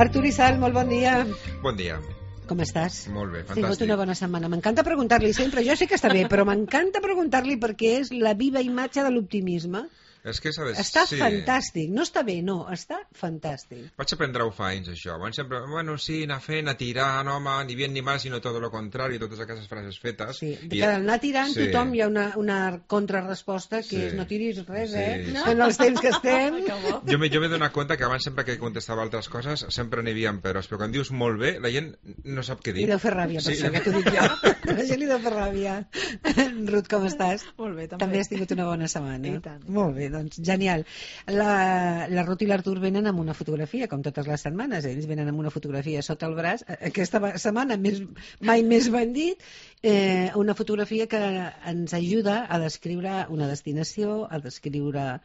Artur i Sal, molt bon dia. Bon dia. Com estàs? Molt bé, Has tingut fantàstic. una bona setmana. M'encanta preguntar-li sempre, jo sé que està bé, però m'encanta preguntar-li perquè és la viva imatge de l'optimisme. És que s'ha de... Està sí. fantàstic, no està bé, no, està fantàstic. Vaig aprendre-ho fa anys, això. Abans sempre, bueno, sí, anar fent, anar tirant, home, ni bien ni mal, sinó tot el contrari, totes aquestes frases fetes. Sí, que anar tirant, sí. tothom hi ha una contrarresposta que Sí. és no tiris res, Sí, eh? sí. En els temps que estem. Jo m'he donat compte que abans sempre que contestava altres coses sempre n'hi havia peròs, però quan dius molt bé, la gent no sap què dir. Li deu fer ràbia, per Sí. això que t'ho dic jo. A la gent li deu fer ràbia. Ruth, com estàs? Molt bé, també. També has tingut una bona setmana. I tant. Molt bé, doncs genial. La Ruth i l'Artur venen amb una fotografia, com totes les setmanes. Ells venen amb una fotografia sota el braç. Aquesta setmana mai més ben dit, una fotografia que ens ajuda a descriure una destinació, a descriure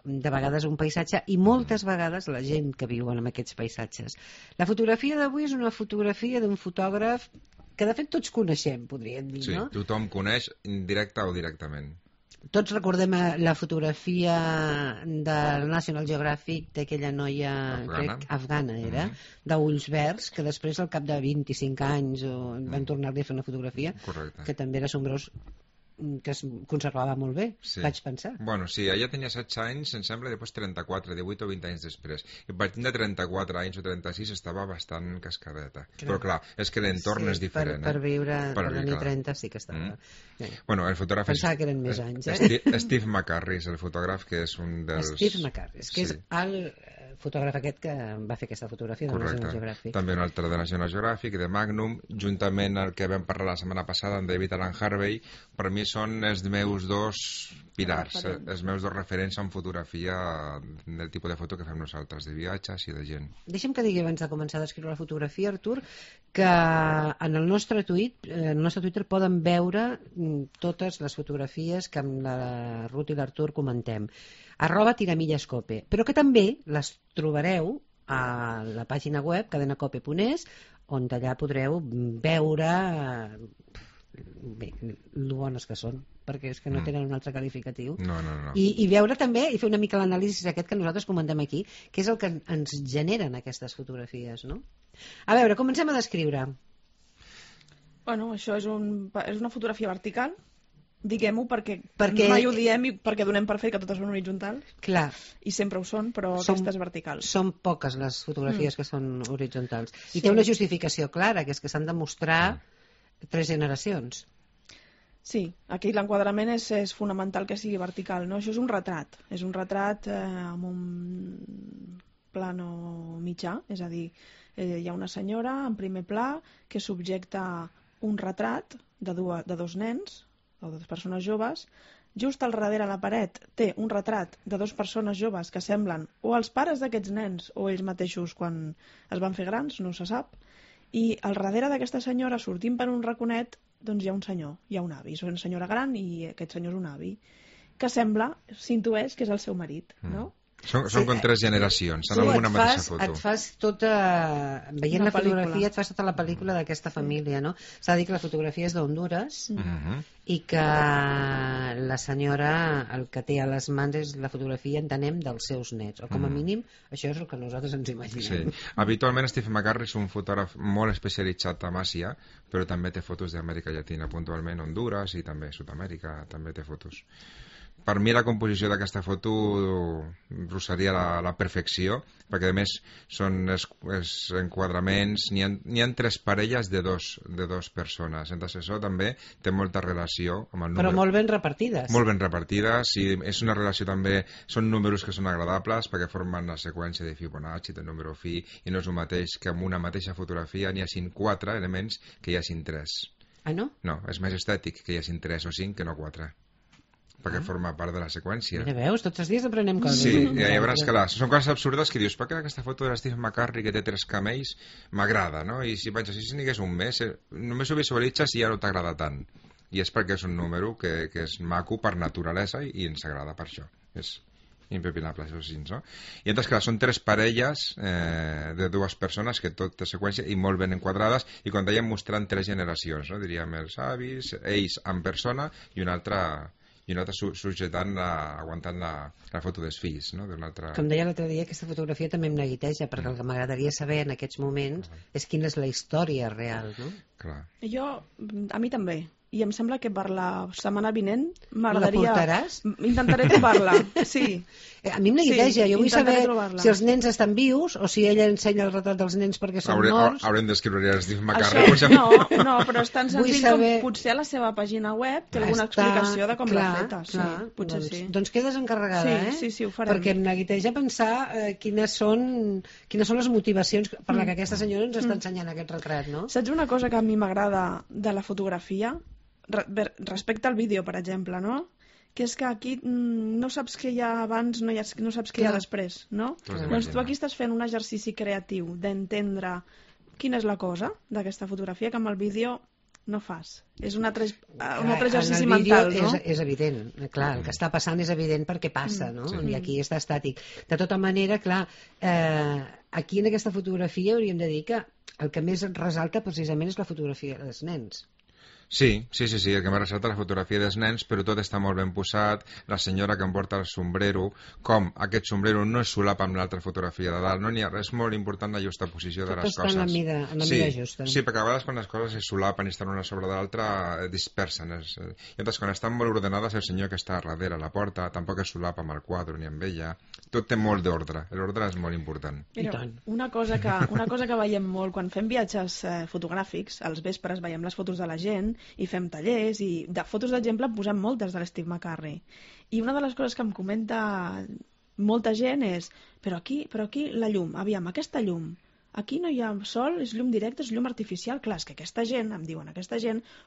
de vegades un paisatge i moltes vegades la gent que viu en aquests paisatges. La fotografia d'avui és una fotografia d'un fotògraf que de fet tots coneixem, podríem dir, Sí, no? tothom coneix, directe o directament. Tots recordem la fotografia del National Geographic d'aquella noia Afgana. afgana era, d'ulls verds, que després al cap de 25 anys van tornar-li a fer una fotografia Correcte. que també era assombros, que es conservava molt bé, Sí. vaig pensar. Bueno, sí, ella tenia 16 anys, em sembla, i després 34, 18 o 20 anys després. I partint de 34 anys o 36 estava bastant cascadeta. Però clar, és que l'entorn és diferent. Per viure, per viure, tenir clar. 30 sí que estava... Bueno, el fotògraf Pensava que eren més anys, eh? Steve McCurry és el fotògraf que és un dels... Steve McCurry, que és Sí. el fotògraf aquest que va fer aquesta fotografia de Correcte. National Geographic. També un altre de National Geographic, de Magnum, juntament el que vam parlar la setmana passada amb David Alan Harvey. Per mi són els meus dos pilars, els meus dos referents en fotografia del tipus de foto que fem nosaltres, de viatges i de gent. Deixa'm que digui abans de començar a descriure la fotografia, Artur, que en el nostre Twitter poden veure totes les fotografies que amb la Ruth i l'Artur comentem. @tiramillescope, però que també les trobareu a la pàgina web cadenacope.es, on allà podreu veure bé, lo bones que són, perquè és que no tenen un altre qualificatiu. No. I veure també, i fer una mica l'anàlisi aquest que nosaltres comentem aquí, que és el que ens generen aquestes fotografies, no? A veure, comencem a descriure. Bueno, això és una fotografia vertical, diguem-ho, perquè mai ho diem i perquè donem per fet que totes són horitzontals. Clar. I sempre ho són, però aquesta és vertical. Són poques les fotografies que són horitzontals. I té una justificació clara, que és que s'han de mostrar 3 generacions. Sí, aquí l'enquadrament és fonamental que sigui vertical, no? Això és un retrat amb un plano mitjà, és a dir, hi ha una senyora en primer pla que subjecta un retrat de dos nens o de 2 persones joves. Just al darrere la paret té un retrat de 2 persones joves que semblen o els pares d'aquests nens o ells mateixos quan es van fer grans, no se sap. I al darrere d'aquesta senyora, sortint per un raconet, doncs hi ha un senyor, hi ha un avi. És una senyora gran i aquest senyor és un avi, que sembla, s'intueix que és el seu marit, no? Són com 3 generacions, són en una mateixa foto. Et fas tota... Veient la fotografia et fas tota la pel·lícula d'aquesta família, no? S'ha de dir que la fotografia és d'Honduras i que la senyora el que té a les mans és la fotografia, entenem, dels seus nets, o com a mínim això és el que nosaltres ens imaginem. Sí. Habitualment Steve McCurry és un fotògraf molt especialitzat en Àsia, però també té fotos d'Amèrica Llatina, puntualment Hondures i també Sud-amèrica, també té fotos. Per mi la composició d'aquesta foto rosaria la perfecció, perquè a més són els enquadraments, n'hi ha 3 parelles de dos persones, entonces això també té molta relació amb el número. Però molt ben repartides. Molt ben repartides, i és una relació també, són números que són agradables perquè formen la seqüència de Fibonacci, del número fi, i no és el mateix que amb una mateixa fotografia n'hi hagin 4 elements que hi hagin 3. Ah, no? No, és més estètic que hi hagin 3 o 5 que no 4. Perquè forma part de la seqüència. Ja veus, tots els dies aprenem coses. Sí, i llavors, clar, són coses absurdes que dius, per què aquesta foto de Steve McCurry que té 3 camells m'agrada, no? I si penses, si n'hi hagués un més, només ho visualitzes i ja no t'agrada tant. I és perquè és un número que és maco per naturalesa i ens agrada per això. És impepinable, això sí, no? I entonces, clar, són 3 parelles de 2 persones que tot té seqüència i molt ben enquadrades, i quan dèiem mostrant 3 generacions, no? Diríem els avis, ells en persona i una altra i una altra aguantant la foto dels fills, no? Com deia l'altre dia, aquesta fotografia també em neguiteja, perquè el que m'agradaria saber en aquests moments és quina és la història real, no? Clar. A mi també. I em sembla que per la setmana vinent m'agradaria... La portaràs? Intentaré trobar-la, sí. A mi em neguiteja, jo vull saber trobar-la. si els nens estan vius o si ella ensenya el retrat dels nens perquè són morts. Haurem d'escriure a Steve McCarthy. Això, no, però és tan senzill saber... com potser a la seva pàgina web té alguna explicació de com l'ha feta. Sí, potser doncs, sí. Doncs quedes encarregada, Sí, ho farem. Perquè em neguiteja pensar quines són les motivacions per la que aquesta senyora ens està ensenyant aquest retrat, no? Saps una cosa que a mi m'agrada de la fotografia? Respecte al vídeo, per exemple, no? Que és que aquí no saps què hi ha abans, no saps què hi ha després, no? Doncs tu aquí estàs fent un exercici creatiu d'entendre quina és la cosa d'aquesta fotografia que amb el vídeo no fas. És un altre exercici mental, no? És evident, clar, el que està passant és evident perquè passa, no? I aquí està estàtic. De tota manera, clar, aquí en aquesta fotografia hauríem de dir que el que més resalta precisament és la fotografia dels nens. Sí, el que m'ha ressaltat la fotografia dels nens, però tot està molt ben posat, la senyora que em porta el sombrero, com aquest sombrero no es solapa amb l'altra fotografia de dalt, no n'hi ha res molt important la justaposició de les coses. Tot està en la mida justa. Sí, perquè a vegades quan les coses es solapen i estan una sobre l'altra, dispersen. I llavors, quan estan molt ordenades, el senyor que està darrere la porta tampoc es solapa amb el quadre ni amb ella. Tot té molt d'ordre, l'ordre és molt important. Mira, una cosa que veiem molt, quan fem viatges fotogràfics, als vespres veiem les fotos de la gent, i fem tallers, i de fotos d'exemple en posem moltes de l'Steve McCarthy. I una de les coses que em comenta molta gent és però aquí la llum, aviam, aquesta llum, aquí no hi ha sol, és llum directe, és llum artificial. Clar, és que aquesta gent, em diuen,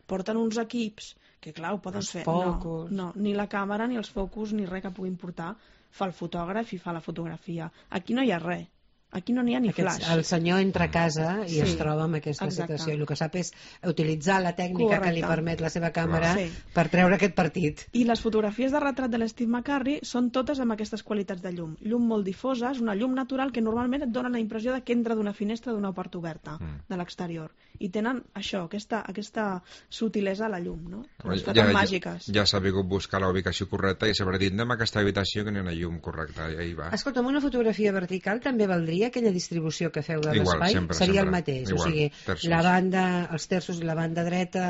porten uns equips que, clar, ho poden fer. No, ni la càmera, ni els focus, ni res que puguin portar, fa el fotògraf i fa la fotografia. Aquí no hi ha res. Aquí no n'hi ha ni flash. El senyor entra a casa i es troba amb aquesta situació. I el que sap és utilitzar la tècnica que li permet la seva càmera per treure aquest partit. I les fotografies de retrat de l'Steve McCarthy són totes amb aquestes qualitats de llum. Llum molt difosa, és una llum natural que normalment et dona la impressió que entra d'una finestra d'una porta oberta de l'exterior. I tenen això, aquesta sutilesa a la llum, no? Que màgiques. Ja s'ha vingut buscar la ubicació correcta i s'haurà dit, anem a aquesta habitació que n'hi ha una llum correcta. I ahí va. Escolta'm, una fotografia vertical també valdria aquella distribució que feu de l'espai? Seria el mateix, o sigui, la banda, els terços i la banda dreta,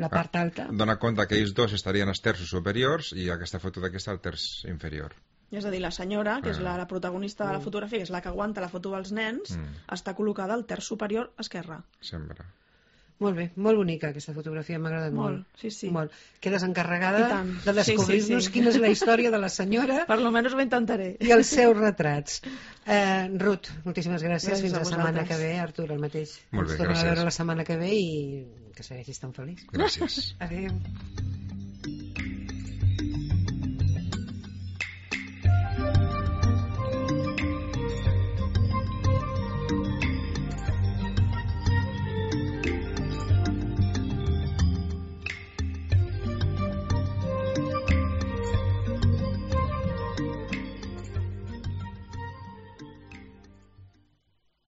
la part alta. Dona compte que ells dos estarien als terços superiors i aquesta foto d'aquesta al terç inferior. És a dir, la senyora, que és la protagonista de la fotografia, que és la que aguanta la foto dels nens, està col·locada al terç superior esquerre. Sempre. Molt bé, molt bonica aquesta fotografia, m'ha agradat molt. Sí. Molt. Quedes encarregada de descobrir-nos quina és la història de la senyora. Per lo menos ho intentaré. I els seus retrats. Ruth, moltíssimes gràcies. Fins la setmana que ve. Artur, el mateix. Molt bé, gràcies. Ens tornem a veure la setmana que ve i que segueixis tan feliç. Gràcies. Adéu.